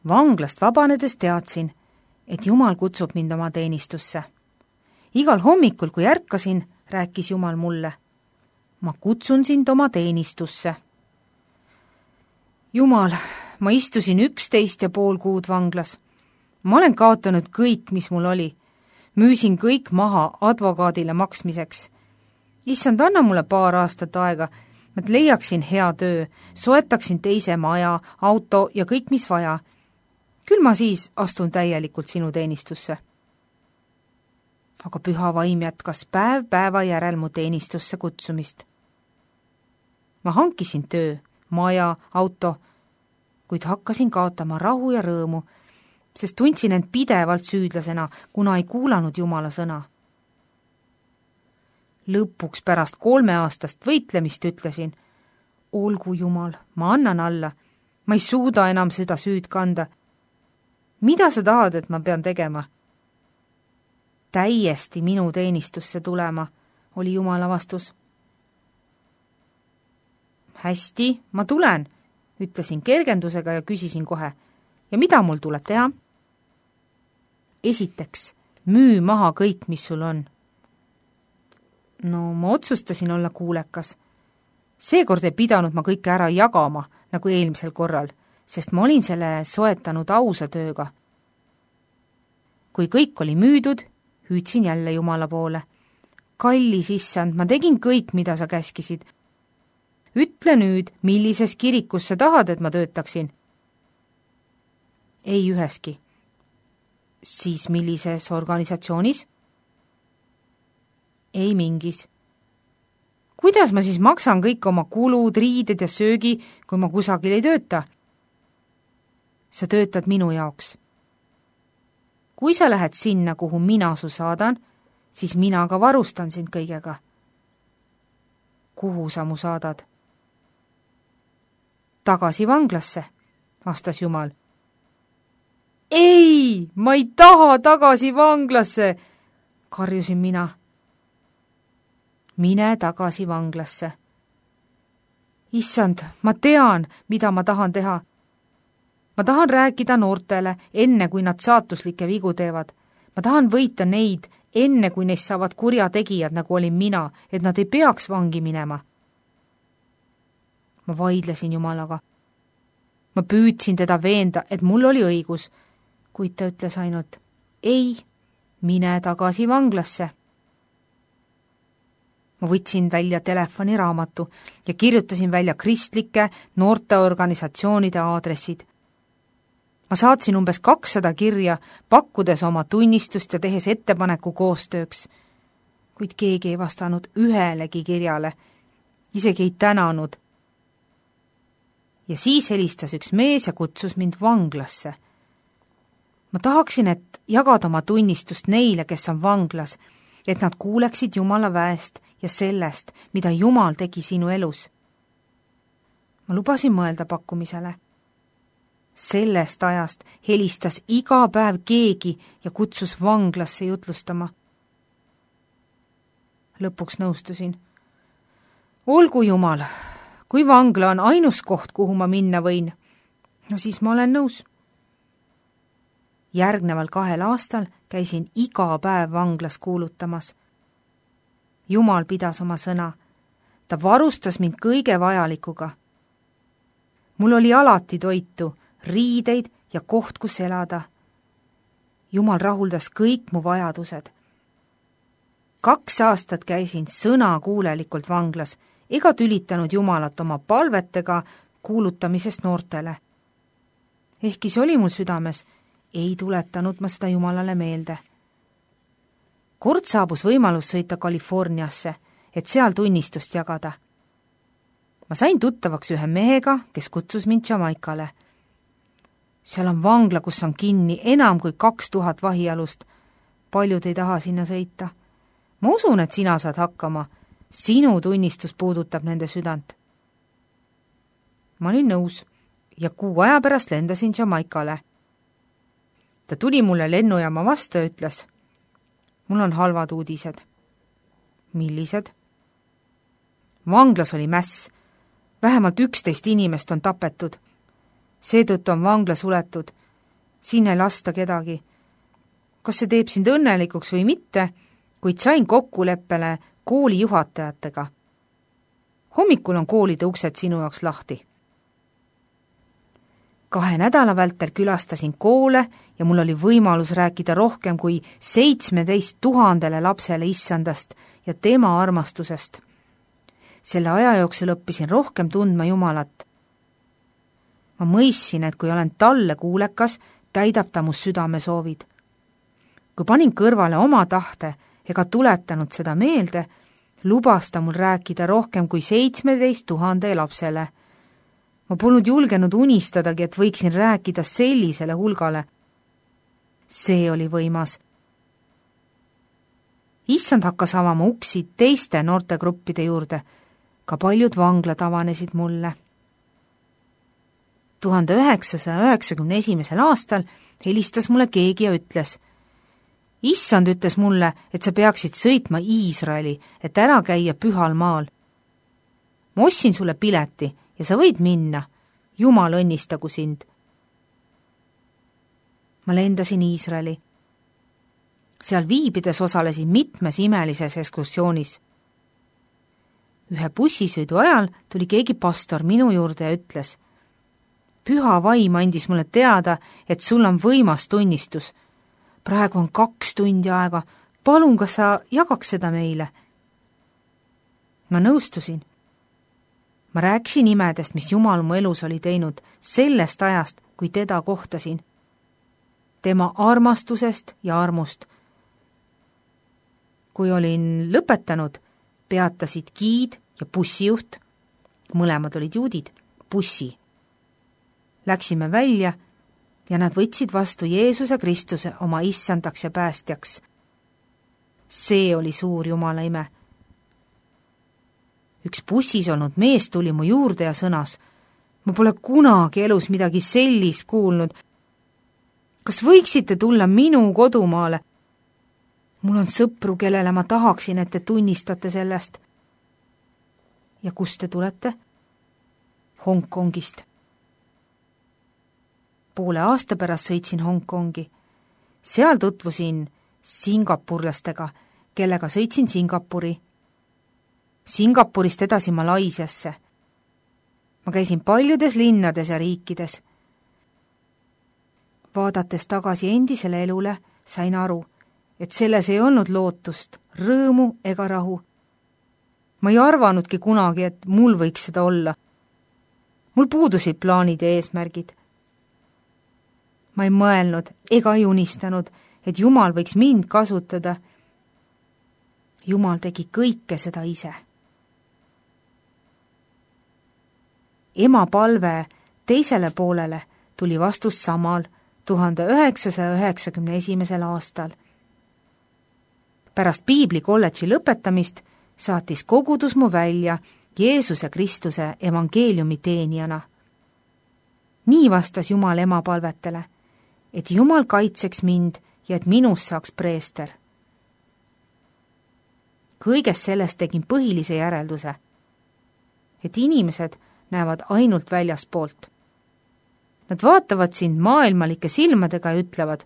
Vanglast vabanedes teadsin, et Jumal kutsub mind oma teenistusse. Igal hommikul, kui ärkasin, rääkis Jumal mulle: ma kutsun sind oma teenistusse. Jumal, ma istusin 11,5 kuud vanglas. Ma olen kaotanud kõik, mis mul oli. Müüsin kõik maha advokaadile maksmiseks. Issand, anna mulle 2 aastat aega, et leiaksin hea töö, soetaksin teise maja, auto ja kõik, mis vaja. Küll ma siis astun täielikult sinu teenistusse. Aga püha vaim jätkas päev päeva järel mu teenistusse kutsumist. Ma hankisin töö, maja, auto, kuid hakkasin kaotama rahu ja rõõmu, sest tundsin end pidevalt süüdlasena, kuna ei kuulanud Jumala sõna. Lõpuks pärast 3 aastast võitlemist ütlesin: olgu Jumal, ma annan alla, ma ei suuda enam seda süüd kanda. Mida sa tahad, et ma pean tegema? Täiesti minu teenistusse tulema, oli Jumala vastus. Hästi, ma tulen, ütlesin kergendusega ja küsisin kohe: ja mida mul tuleb teha? Esiteks, müü maha kõik, mis sul on. No, ma otsustasin olla kuulekas. Seekord ei pidanud ma kõike ära jagama, nagu eelmisel korral, sest ma olin selle soetanud ausa tööga. Kui kõik oli müüdud, hüüdsin jälle Jumala poole: kallis issand, ma tegin kõik, mida sa käskisid. Ütle nüüd, millises kirikus sa tahad, et ma töötaksin? Ei üheski. Siis millises organisatsioonis? Ei mingis. Kuidas ma siis maksan kõik oma kulud, riided ja söögi, kui ma kusagil ei tööta? Sa töötad minu jaoks. Kui sa lähed sinna, kuhu mina su saadan, siis mina ka varustan sind kõigega. Kuhu sa mu saadad? Tagasi vanglasse, vastas Jumal. Ei, ma ei taha tagasi vanglasse, karjusin mina. Mine tagasi vanglasse. Issand, ma tean, mida ma tahan teha. Ma tahan rääkida noortele, enne kui nad saatuslikke vigu teevad. Ma tahan võita neid, enne kui neist saavad kurjategijad, nagu olin mina, et nad ei peaks vangi minema. Ma vaidlesin Jumalaga. Ma püüdsin teda veenda, et mul oli õigus, kuid ta ütles ainult: ei, mine tagasi vanglasse. Ma võtsin välja telefoniraamatu ja kirjutasin välja kristlike noorteorganisatsioonide aadressid. Ma saatsin umbes 200 kirja, pakkudes oma tunnistust ja tehes ettepaneku koostööks, kuid keegi ei vastanud ühelegi kirjale, isegi ei tänanud. Ja siis helistas üks mees ja kutsus mind vanglasse. Ma tahaksin, et jagada oma tunnistust neile, kes on vanglas, et nad kuuleksid Jumala väest ja sellest, mida Jumal tegi sinu elus. Ma lubasin mõelda pakkumisele. Sellest ajast helistas iga päev keegi ja kutsus vanglasse jutlustama. Lõpuks nõustusin. Olgu Jumal, kui vangla on ainus koht, kuhu ma minna võin, no siis ma olen nõus. Järgneval 2 aastal käisin iga päev vanglas kuulutamas. Jumal pidas oma sõna. Ta varustas mind kõige vajalikuga. Mul oli alati toitu, riideid ja koht, kus elada. Jumal rahuldas kõik mu vajadused. 2 aastat käisin sõnakuulelikult vanglas ega tülitanud Jumalat oma palvetega kuulutamisest noortele. Ehkki see oli mul südames, ei tuletanud ma seda Jumalale meelde. Kord saabus võimalus sõita Californiasse, et seal tunnistust jagada. Ma sain tuttavaks ühe mehega, kes kutsus mind Jamaikale. Seal on vangla, kus on kinni enam kui 2000 vahialust. Paljud ei taha sinna sõita. Ma usun, et sina saad hakkama. Sinu tunnistus puudutab nende südant. Ma olin nõus ja 6 aja pärast lendasin Jamaikale. Ta tuli mulle lennujaama vastu ja ütles: mul on halvad uudised. Millised? Vanglas oli mäss. Vähemalt 11 inimest on tapetud. Seetõttu on vangla suletud siin ei lasta kedagi. Kas see teeb sind õnnelikuks või mitte, kuid sain kokkuleppele kooli juhatajatega. Hommikul on koolide uksed sinu jaoks lahti. 2 nädala vältel külastasin koole ja mul oli võimalus rääkida rohkem kui 17 000 lapsele Issandast ja tema armastusest. Selle aja jooksul õppisin rohkem tundma Jumalat. Ma mõistsin, et kui olen talle kuulekas, täidab ta mu südamesoovid. Kui panin kõrvale oma tahte ega tuletanud seda meelde, lubas ta mul rääkida rohkem kui 17 000 lapsele. Ma polnud julgenud unistadagi, et võiksin rääkida sellisele hulgale. See oli võimas. Issand hakkas avama uksi teiste noortegruppide juurde. Ka paljud vanglad avanesid mulle. 1991. aastal helistas mulle keegi ja ütles: Issand ütles mulle, et sa peaksid sõitma Iisraeli, et ära käia pühal maal. Ma ostsin sulle pileti ja sa võid minna. Jumal õnnistagu sind. Ma lendasin Iisraeli. Seal viibides osalesin mitmes imelises ekskursioonis. Ühe bussisõidu ajal tuli keegi pastor minu juurde ja ütles: Püha vaim andis mulle teada, et sul on võimas tunnistus. Praegu on 2 tundi aega. Palun, kas sa jagaks seda meile? Ma nõustusin. Ma rääkisin imedest, mis Jumal mu elus oli teinud, sellest ajast, kui teda kohtasin. Tema armastusest ja armust. Kui olin lõpetanud, peatasid giid ja bussijuht, mõlemad olid juudid, bussi. Läksime välja ja nad võtsid vastu Jeesuse Kristuse oma issandaks ja päästjaks. See oli suur Jumala ime. Üks bussis olnud mees tuli mu juurde ja sõnas: Ma pole kunagi elus midagi sellist kuulnud. Kas võiksite tulla minu kodumaale? Mul on sõpru, kellele ma tahaksin, et te tunnistate sellest. Ja kust te tulete? Hongkongist. Poole aasta pärast sõitsin Hongkongi. Seal tutvusin singapurlastega, kellega sõitsin Singapuri. Singapurist edasi Malaisiasse. Ma käisin paljudes linnades ja riikides. Vaadates tagasi endisele elule, sain aru, et selles ei olnud lootust, rõõmu ega rahu. Ma ei arvanudki kunagi, et mul võiks seda olla. Mul puudusid plaanid ja eesmärgid. Ma ei mõelnud ega ei unistanud, et Jumal võiks mind kasutada. Jumal tegi kõike seda ise. Ema palve teisele poolele tuli vastus samal 1991. aastal. Pärast Piibli kolledži lõpetamist saatis kogudus mu välja Jeesuse Kristuse evangeeliumi teenijana. Nii vastas Jumal ema palvetele, et Jumal kaitseks mind ja et minust saaks preester. Kõigest sellest tegin põhilise järelduse, et inimesed näevad ainult väljaspoolt. Nad vaatavad sind maailmalike silmadega ja ütlevad: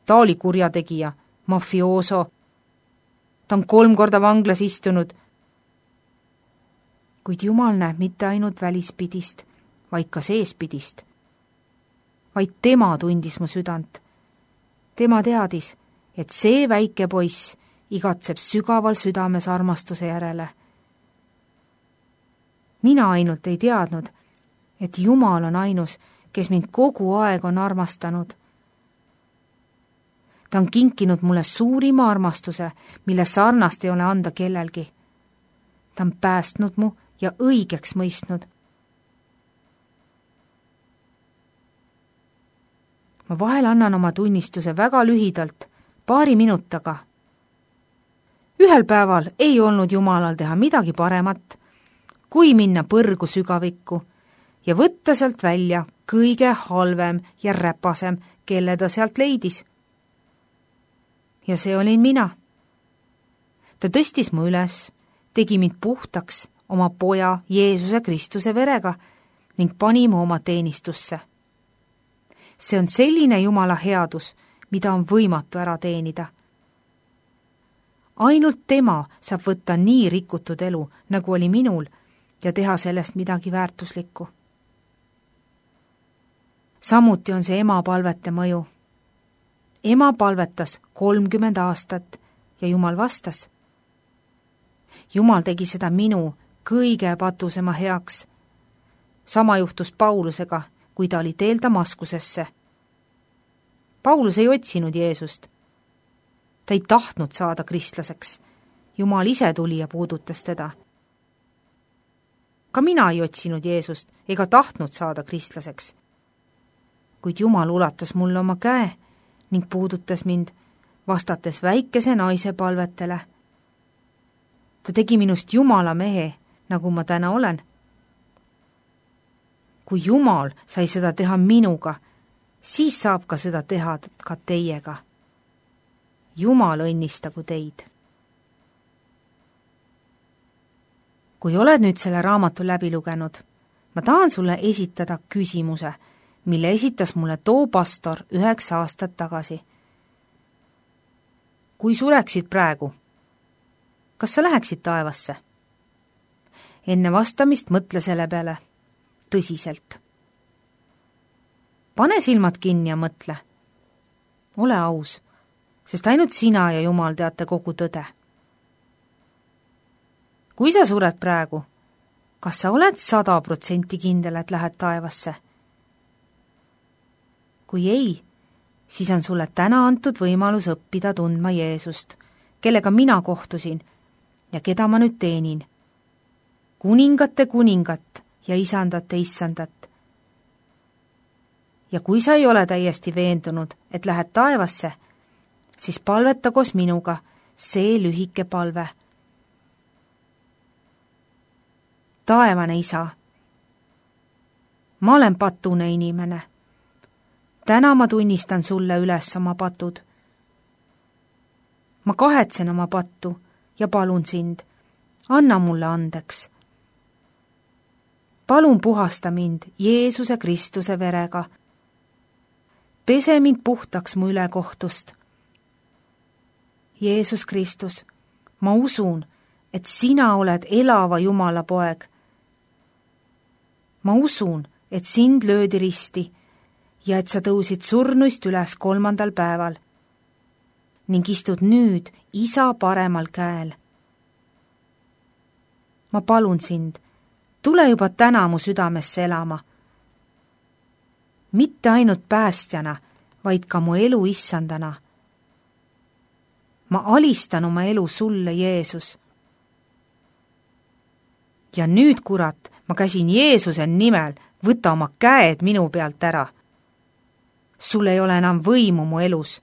ta oli kurjategija, mafiooso, ta on 3 korda vanglas istunud. Kuid Jumal näeb mitte ainult välispidist, vaid ka seespidist. Vaid tema tundis mu südant. Tema teadis, et see väike poiss igatseb sügaval südames armastuse järele. Mina ainult ei teadnud, et Jumal on ainus, kes mind kogu aeg on armastanud. Ta on kinkinud mulle suurima armastuse, mille sarnast ei ole anda kellelgi. Ta on päästnud mu ja õigeks mõistnud. Ma vahel annan oma tunnistuse väga lühidalt, 2 minutaga. Ühel päeval ei olnud Jumalal teha midagi paremat, kui minna põrgu sügavikku ja võtta sealt välja kõige halvem ja räpasem, kelle ta sealt leidis. Ja see olin mina. Ta tõstis mu üles, tegi mind puhtaks oma poja Jeesuse Kristuse verega ning pani mu oma teenistusse. See on selline Jumala headus, mida on võimatu ära teenida. Ainult tema saab võtta nii rikutud elu, nagu oli minul, ja teha sellest midagi väärtuslikku. Samuti on see ema palvete mõju. Ema palvetas 30 aastat ja Jumal vastas. Jumal tegi seda minu kõige patusema heaks. Sama juhtus Paulusega, kui ta oli teel Damaskusesse. Paulus ei otsinud Jeesust. Ta ei tahtnud saada kristlaseks. Jumal ise tuli ja puudutas teda. Ka mina ei otsinud Jeesust ega tahtnud saada kristlaseks. Kuid Jumal ulatas mulle oma käe ning puudutas mind, vastates väikese naise palvetele. Ta tegi minust Jumala mehe, nagu ma täna olen. Kui Jumal sai seda teha minuga, siis saab ka seda teha ka teiega. Jumal õnnistagu teid. Kui oled nüüd selle raamatu läbi lugenud, ma tahan sulle esitada küsimuse, mille esitas mulle too pastor 9 aastat tagasi. Kui sureksid praegu, kas sa läheksid taevasse? Enne vastamist mõtle selle peale tõsiselt. Pane silmad kinni ja mõtle. Ole aus, sest ainult sina ja Jumal teate kogu tõde. Kui sa sured praegu, kas sa oled 100% kindel, et lähed taevasse? Kui ei, siis on sulle täna antud võimalus õppida tundma Jeesust, kellega mina kohtusin ja keda ma nüüd teenin. Kuningate kuningat ja isandate issandat. Ja kui sa ei ole täiesti veendunud, et lähed taevasse, siis palveta koos minuga see lühike palve. Taevane Isa, ma olen patune inimene. Täna ma tunnistan sulle üles oma patud. Ma kahetsen oma pattu ja palun sind, anna mulle andeks. Palun puhasta mind Jeesuse Kristuse verega. Pese mind puhtaks mu ülekohtust. Jeesus Kristus, ma usun, et sina oled elava Jumala poeg. Ma usun, et sind löödi risti ja et sa tõusid surnuist üles 3. päeval ning istud nüüd Isa paremal käel. Ma palun sind, tule juba täna mu südamesse elama. Mitte ainult päästjana, vaid ka mu elu issandana. Ma alistan oma elu sulle, Jeesus. Ja nüüd, kurat, ma käsin Jeesuse nimel, võta oma käed minu pealt ära. Sul ei ole enam võimu mu elus.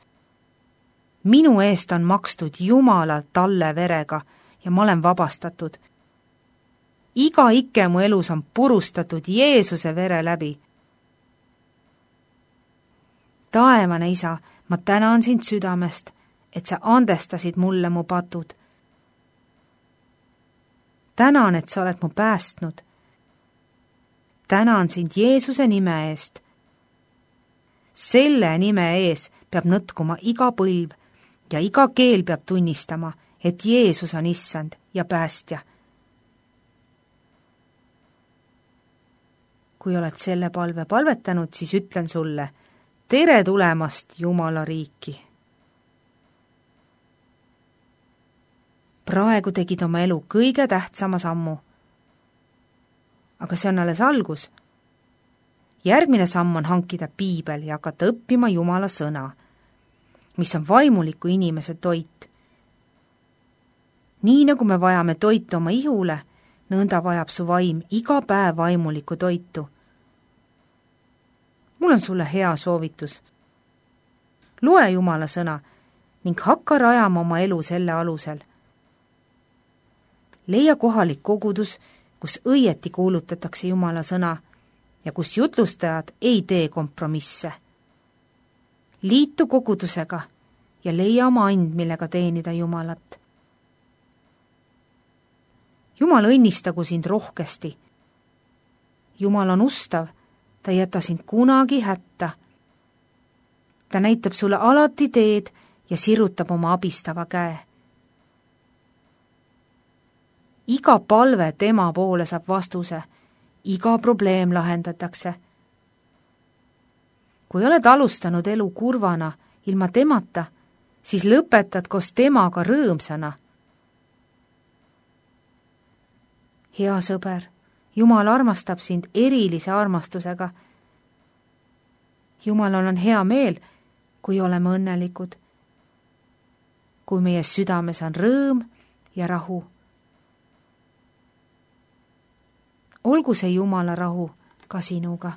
Minu eest on makstud Jumala talle verega ja ma olen vabastatud. Iga ike mu elus on purustatud Jeesuse vere läbi. Taevane Isa, ma tänan sind südamest, et sa andestasid mulle mu patud. Tänan, et sa oled mu päästnud. Tänan sind Jeesuse nime eest. Selle nime ees peab nõtkuma iga põlv ja iga keel peab tunnistama, et Jeesus on issand ja päästja. Kui oled selle palve palvetanud, siis ütlen sulle, tere tulemast Jumala riiki. Praegu tegid oma elu kõige tähtsama sammu. Aga see on alles algus. Järgmine samm on hankida piibel ja hakata õppima Jumala sõna, mis on vaimuliku inimese toit. Nii nagu me vajame toitu oma ihule, nõnda vajab su vaim iga päev vaimulikku toitu. Mul on sulle hea soovitus. Loe Jumala sõna ning hakka rajama oma elu selle alusel. Leia kohalik kogudus, kus õieti kuulutatakse Jumala sõna ja kus jutlustajad ei tee kompromisse. Liitu kogudusega ja leia oma and, millega teenida Jumalat. Jumal õnnistagu sind rohkesti. Jumal on ustav, ta ei jäta sind kunagi hätta. ta näitab sulle alati teed ja sirutab oma abistava käe. Iga palve tema poole saab vastuse, iga probleem lahendatakse. Kui oled alustanud elu kurvana ilma temata, siis lõpetad koos temaga rõõmsana. Hea sõber, Jumal armastab sind erilise armastusega. Jumalal on hea meel, kui oleme õnnelikud, kui meie südames on rõõm ja rahu. Olgu see Jumala rahu ka sinuga.